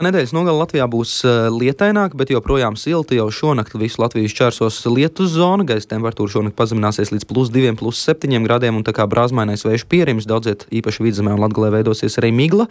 Nedēļas nogale Latvijā būs lietaināka, bet joprojām silta. Jau šonakt visu Latviju šķērsos lietus zona. Gaisa temperatūra šonakt pazemināsies līdz +2, +7 grādiem, un tā kā brāzmainais vējš pierims, daudziet īpaši Vidzemē un Latgalē veidosies arī migla.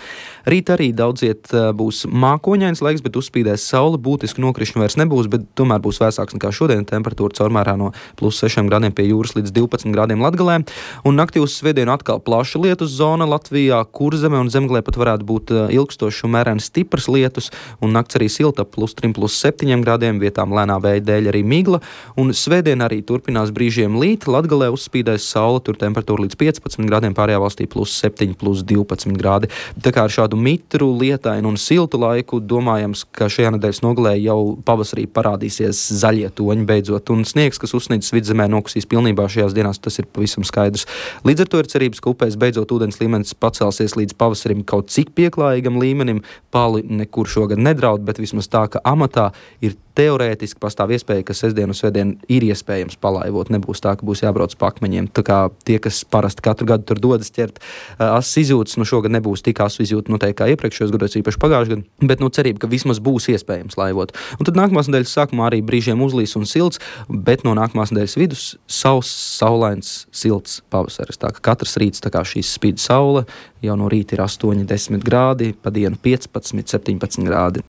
Rīt arī daudziet būs mākoņains laiks, bet uzspīdēs saule. Būtiski nokrišņu vairs nebūs, bet tomēr būs vēsāks nekā šodien. Temperatūra caurmērā no +6 grādiem pie jūras līdz 12 grādiem Latgalē. Un naktī uz svētdienu atkal plaša lietus zona Latvijā. Kurzeme un Zemgalē pat varētu būt ilgstošs un mērens stiprs lietus, un nakts arī silta +3, +7 grādiem, vietām lēnā vēja dēļ arī migla, un svētdien arī turpinās brīžiem līt. Latgalē uzspīdēs saule, tur temperatūra līdz 15 grādiem, pārējā valstī +7, +12 grādi. Tā kā ar šādu mitru, lietainu un siltu laiku domājams, ka šajā nedēļas nogalē jau pavasarī parādīsies zaļie toņi beidzot, un sniegs, kas uzsnidzis Vidzemē, nokusīs pilnībā šajās dienās, tas ir pavisam skaidrs. Līdz ar to ir cerības, ka upēs beidzot ūdens līmenis pacelsies līdz pavasarim kaut cik pieklājīgam līmenim. Pali nekur šogad nedraud, bet vismaz tā, ka amatā ir teorētiski pastāv iespēja, ka sestdien un svētdien ir iespējams palaivot. Nebūs tā, ka būs jābrauc pa akmeņiem. Tā kā tie, kas parasti katru gadu tur dodas ķert asas izjūtas, šogad nebūs tik asu izjūta noteikti kā iepriekšējos gados, īpaši pagājušajā gadā, bet cerība, ka vismaz būs iespējams laivot. Un tad nākamās nedēļas sākumā arī brīžiem uzlīs un silts, bet no nākamās nedēļas vidus sauss, saulains, silts pavasaris. Tā kā katrs rīts, tā kā šīs spīd saule, jau no rīta ir 8, 10 grādi, pa dienu 15, 17 grādi.